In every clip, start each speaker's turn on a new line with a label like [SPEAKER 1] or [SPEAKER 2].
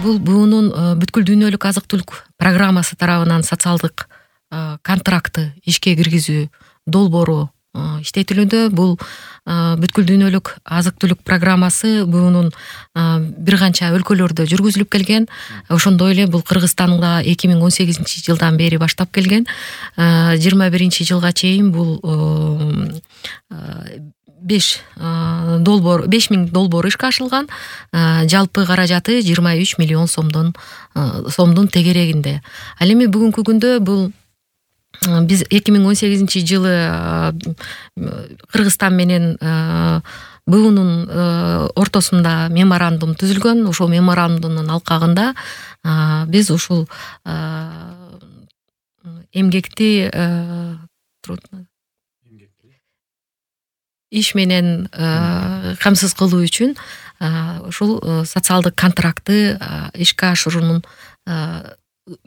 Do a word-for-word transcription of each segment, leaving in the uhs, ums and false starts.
[SPEAKER 1] бул буунун бүткүл дүйнөлүк азык түлүк программасы тарабынан социалдык контракты ишке киргизүү долбоору иштетилүүдө. Бул бүткүл дүйнөлүк азык түлүк программасы буунун бир канча өлкөлөрдө жүргүзүлүп келген. Ошондой эле бул Кыргызстанда эки миң он сегизинчи жылдан бери баштап келген. жыйырма биринчи жылга чейин бул беш долбоор беш миң долбоор ишке ашырылган. Жалпы каражаты жыйырма үч миллион сомдон сомдун тегерегинде. Ал эми бүгүнкү күндө бул биз эки миң он сегизинчи жылы Кыргызстан менен буунун ортосунда меморандум түзүлгөн. Ошол меморандумдун алкагында биз ушул эмгекти иш менен камсыз кылуу үчүн ушул социалдык контрактты ишке ашыруунун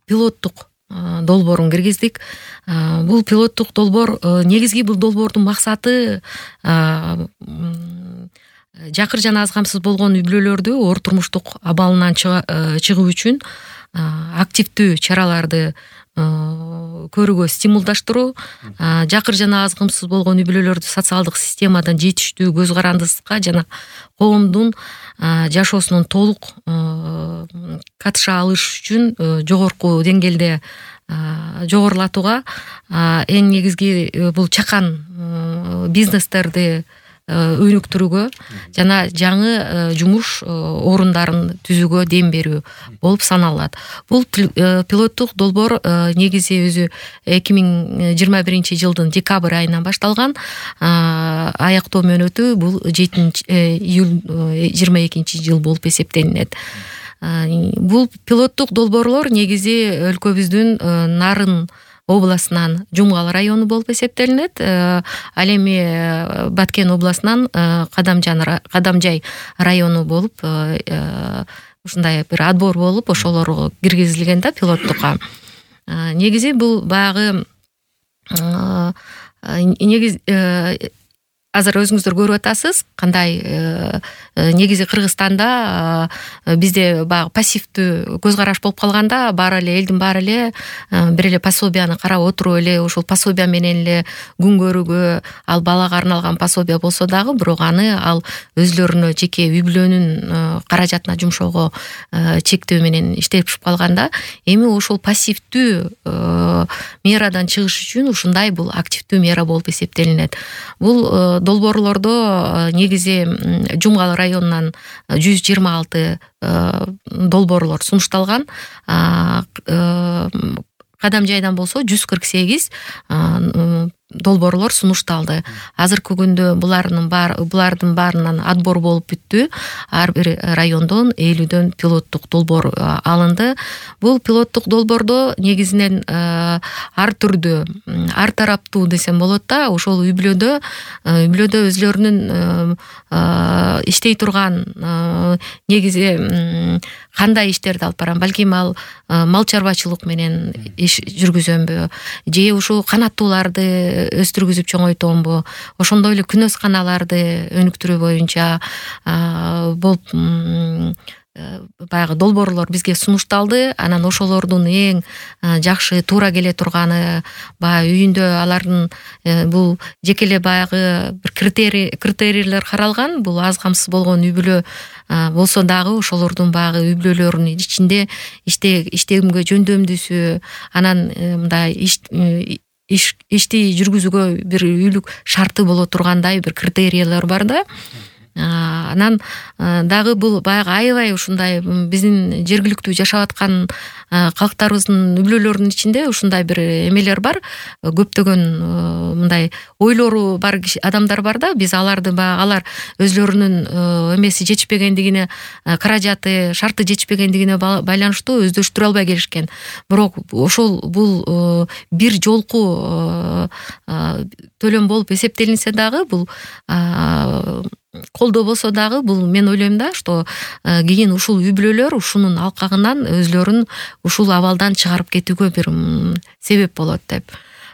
[SPEAKER 1] пилоттук долбоорун киргиздик. Бул пилоттук долбоор негизги бул долбоордун максаты жакыр жана аз камсыз болгон үй бүлөлөрдү оор турмуштук абалынан чыгуу үчүн активдүү чараларды көрүүгө стимулдаштыруу, жакыр жана аз камсыз болгон үй бүлөлөрдү социалдык системадан жетиштүү көз карандысыкка жана коомдун жашоосунун толук катыша алыш үчүн жогорку деңгээлде жогорулатууга, эң негизги бул чакан бизнестерди өнүктүрүүгө жана жаңы жумуш орундарын түзүүгө дем берүү болуп саналат. Бул пилоттук долбоор негизи өзү эки миң жыйырма биринчи жылдын декабрь айынан башталган. Аяктоо мөөнөтү бул жетинчи июль жыйырма экинчи жыл болуп эсептелинет. Бул пилоттук долбоорлор негизи өлкөбүздүн Нарын областынан Жумгал району болуп эсептелинет. Ал эми Баткен областынан Кадамжай району болуп ушундай бир отбор болуп ошолор киргизилген да пилоттукка. Негизи бул баягы негиз азыр өзүңүздөр көрүп атасыз кандай негизи Кыргызстанда бизде баягы пассивдүү көз караш болуп калганда баары эле элдин баары эле бир эле пособияны карап отуруп эле ушул пособия менен эле күн көрүүгө, ал балага арналган пособия болсо дагы бирок аны ал өзлөрүнө жеке үй бүлөнүн каражатына жумшоого чектөө менен иштешип калганда, эми ошол пассивдүү мерадан чыгыш үчүн ушундай бул активдүү мера болуп эсептелинет. Бул долбоорлордо негизи Жумгал районунан жүз жыйырма алты долбоорлор сунушталган. Кадамжайдан болсо жүз кырк сегиз долбоорлор сунушталды. Азыркы күндө булардын баары булардын баарынан отбор болуп бүттү. Ар бир райондон элүүдөн пилоттук долбоор алынды. Бул пилоттук долбоордо негизинен ар түрдүү, ар тараптуу десем болот да, ошол үй бүлөдө үй бүлөдө өзлөрүнүн иштей турган негизи кандай иштерди алып барам, балким ал мал чарбачылык менен иш жүргүзөмбү, же ушул канаттууларды өстүргүзүп чоңойтомбу, ошондой эле күнөсканаларды өнүктүрүү боюнча болуп баягы долбоорлор бизге сунушталды. Анан ошолордун эң жакшы туура келе турганы баягы үйүндө алардын бул жеке эле баягы бир критерий критерийлер каралган. Бул аз камсыз болгон үй бүлө болсо дагы ошолордун баягы үй бүлөлөрүнүн ичинде иште иштегимге жөндөмдүүсү, анан мындай иш ишти жүргүзүүгө бир үйлүк шарты боло тургандай бир критерийлер бар да. Анан дагы бул баягы аябай ушундай биздин жергиликтүү жашап аткан калктарыбыздын үй бүлөлөрүнүн ичинде ушундай бир эмелер бар. Көптөгөн мындай ойлору бар адамдар бар да. Биз аларды баягы алар өзлөрүнүн эмеси жетишпегендигине, каражаты, шарты жетишпегендигине байланыштуу өздөштүрө албай келишкен. Бирок ошол бул бир жолку төлөм болуп эсептелинсе дагы бул колдоо болсо дагы бул мен ойлойм да, что кийин ушул үй бүлөлөр ушунун алкагынан өзлөрүн ушул абалдан чыгарып кетүүгө бир себеп болот деп.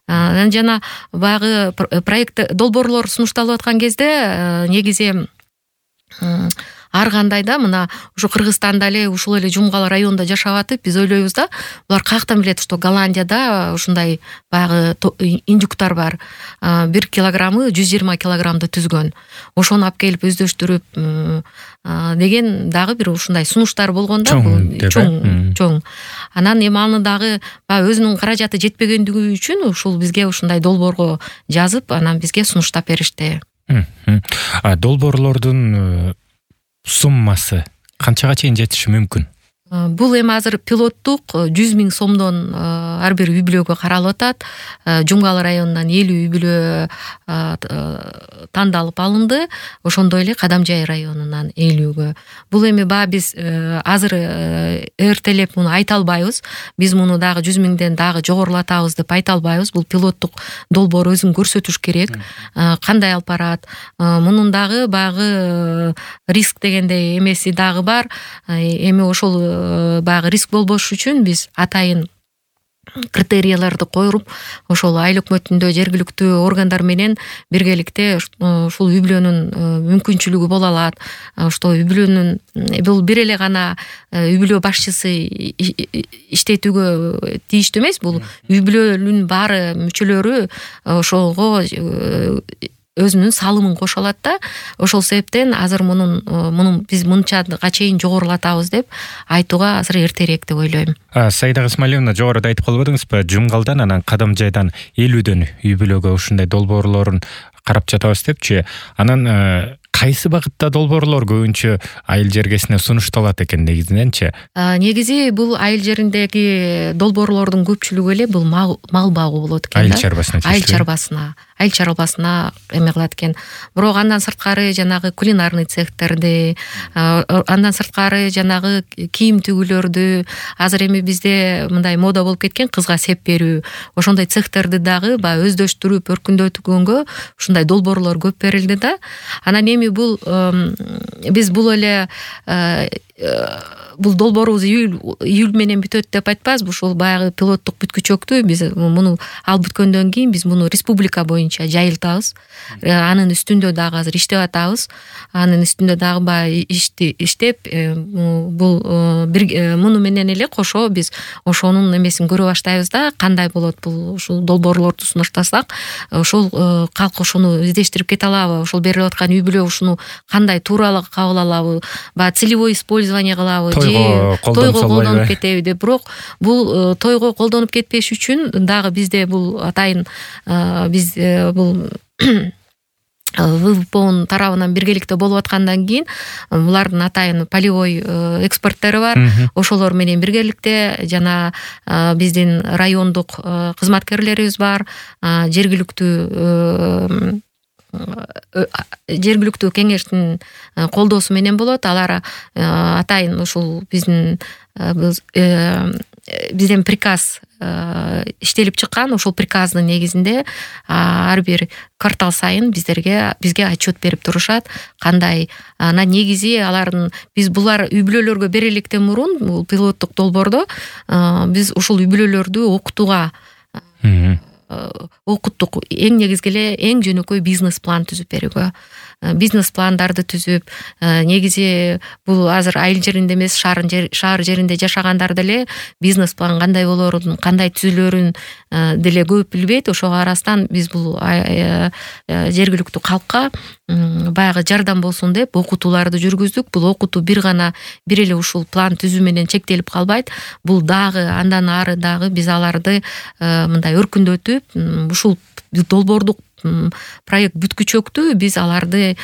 [SPEAKER 1] Анан жана баягы проект долбоорлор сунушталып аткан кезде негизи ар кандай да мына ушу Кыргызстанда эле ушул эле Жумгал районунда жашап атып биз ойлойбуз да булар каяктан билет, что Голландияда ушундай баягы индюктар бар, бир килограммы жүз жыйырма килограммды түзгөн, ошону алып келип өздөштүрүп деген дагы бир ушундай сунуштар болгон да, чоң чоң. Анан эми аны дагы баягы өзүнүн каражаты жетпегендиги үчүн ушул бизге ушундай долбоорго жазып, анан бизге сунуштап беришти.
[SPEAKER 2] Долбоорлордун суммасы канчага чейин жетиши мүмкүн?
[SPEAKER 1] Бул эми азыр пилоттук жүз миң сомдон ар бир үй бүлөгө каралып атат. Жумгал районунан элүү үй бүлө тандалып алынды. Ошондой эле Кадамжай районунан элүүгө. Бул эми баягы биз азыр эртелеп муну айта албайбыз. Биз муну дагы жүз миңден дагы жогорулатабыз деп айта албайбыз. Бул пилоттук долбоор өзүн көрсөтүш керек. Кандай алып барат? Мунун дагы баягы риск дегендей эмеси дагы бар. Эми ошол баягы риск болбош үчүн биз атайын критерияларды коюп, ошол айыл өкмөтүндө жергиликтүү органдар менен биргеликте ушул үй бүлөнүн мүмкүнчүлүгү боло алат. Что үй бүлөнүн бул бир эле гана үй бүлө башчысы иштетүүгө тийиштүү эмес, бул үй бүлөнүн баары мүчөлөрү ошого өзүнүн салымын кошо алат да. Ошол себептен азыр мунун мунун биз мынчага чейин жогорулатабыз деп айтууга азыр эртерээк деп ойлойм.
[SPEAKER 2] Саида Исмаиловна, жогоруда айтып калбадыңызбы, Жумгалдан анан Кадамжайдан элүүдөн үй бүлөгө ушундай долбоорлорун карап жатабыз депчи. Анан кайсы багытта долбоорлор көбүнчө айыл жергесине сунушталат экен негизиненчи?
[SPEAKER 1] Негизи бул айыл жериндеги долбоорлордун көпчүлүгү эле бул мал багуу болот экен да.
[SPEAKER 2] Айыл чарбасына.
[SPEAKER 1] Айыл чарбасына. Айыл чарбасына эме кылат экен. Бирок андан сырткары жанагы кулинарный цехтерди, андан сырткары жанагы кийим түгүлөрдү, азыр эми бизде мындай мода болуп кеткен кызга сеп берүү. Ошондой цехтерди дагы баягы өздөштүрүп, өркүндөтүгөнгө ушундай долбоорлор көп берилди да. Анан эми бул биз бул эле бул долбоорубуз июль менен бүтөт деп айтпайбыз. Ушул баягы пилоттук бүткүчөктү биз муну алып бүткөндөн кийин биз муну республика боюнча жайылтабыз. Анын үстүндө дагы азыр иштеп атабыз. Анын үстүндө дагы баягы ишти иштеп, бул бир муну менен эле кошо биз ошонун эмесин көрө баштайбыз да, кандай болот бул ушул долбоорлорду сунуштасак, ошол калк ошону издештирип кете алабы, ошол берилип аткан үй бүлө ушуну кандай тууралык кабыл алабы, баягы целевой использование кылабы, тойго колдонуп кетеби деп. Бирок бул тойго колдонуп кетпеш үчүн дагы бизде бул атайын биз бул ВВПнын тарабынан биргеликте болуп аткандан кийин булардын атайын полевой экспертери бар. Ошолор менен биргеликте жана биздин райондук кызматкерлерибиз бар, жергиликтүү жергиликтүү кеңештин колдоосу менен болот. Алар атайын ушул биздин бизден приказ иштелип чыккан. Ошол приказдын негизинде ар бир квартал сайын биздерге бизге отчет берип турушат. Кандай анан негизи алардын биз булар үй бүлөлөргө бериликтен мурун бул пилоттук долбоордо биз ушул үй бүлөлөрдү окутууга окуттук. Эң негизги эле эң жөнөкөй бизнес план түзүп берүүгө, бизнес пландарды түзүп, негизи бул азыр айыл жеринде эмес, шаар жеринде жашагандар деле бизнес план кандай болорун, кандай түзүлөрүн деле көп билбейт. Ошого арастан биз бул жергиликтүү калкка баягы жардам болсун деп окутууларды жүргүздүк. Бул окутуу бир гана бир эле ушул план түзүү менен чектелип калбайт. Бул дагы андан ары дагы биз аларды мындай өркүндөтүп, ушул долбоордук проект бүткүчөктү биз аларды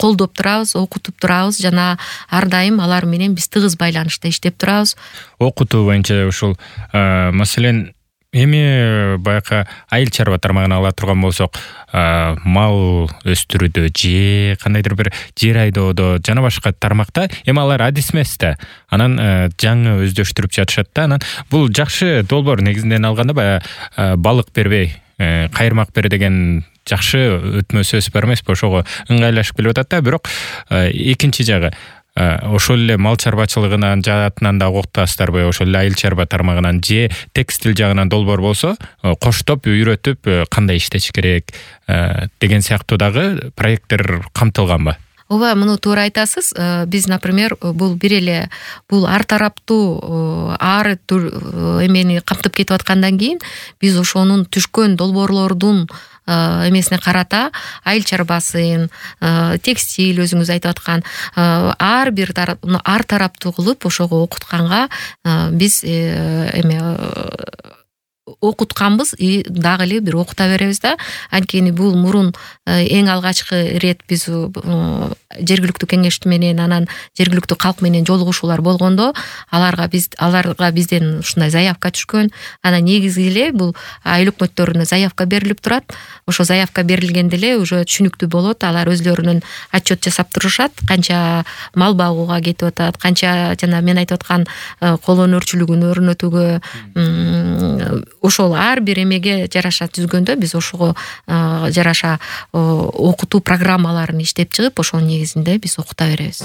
[SPEAKER 1] колдоп турабыз, окутуп турабыз жана ар дайым алар менен биз тыгыз байланышта иштеп турабыз.
[SPEAKER 2] Окутуу боюнча ушул маселен эми баягы айыл чарба тармагын ала турган болсок, мал өстүрүүдө же кандайдыр бир жер айдоодо жана башка тармакта эми алар адис эмес да. Анан жаңы өздөштүрүп жатышат да. Анан бул жакшы долбоор негизинен алганда баягы балык бербей кайырмак бер деген жакшы өтмө сөз бар эмеспи? Ошого ыңгайлашып келип атат да. Бирок экинчи жагы ошол эле мал чарбачылыгынан жаатынан да окутасыздарбы, ошол эле айыл чарба тармагынан же текстил жагынан долбоор болсо коштоп үйрөтүп кандай иштеш керек деген сыяктуу дагы проекттер камтылганбы?
[SPEAKER 1] ооба, муну туура айтасыз. Биз, например, бул бир эле бул ар тараптуу ар эмени камтып кетип аткандан кийин биз ошонун түшкөн долбоорлордун эмесине карата айыл чарбасын, текстиль, өзүңүз айтып аткан ар бир ар тараптуу кылып ошого окутканга биз эме окутканбыз и дагы эле бир окута беребиз да. Анткени бул мурун эң алгачкы ирет биз жергиликтүү кеңеш менен, анан жергиликтүү калк менен жолугушуулар болгондо аларга биз аларга бизден ушундай заявка түшкөн. Анан негизи эле бул айыл өкмөттөрүнө заявка берилип турат. Ошо заявка берилгенде эле уже түшүнүктүү болот. Алар өзлөрүнүн отчет жасап турушат, канча мал багууга кетип атат, канча жана мен айтып аткан кол өнөрчүлүгүн өрнөтүүгө, ошол ар бир эмеге жараша түзгөндө биз ошого жараша окутуу программаларын иштеп чыгып, ошонун негизинде биз окута беребиз.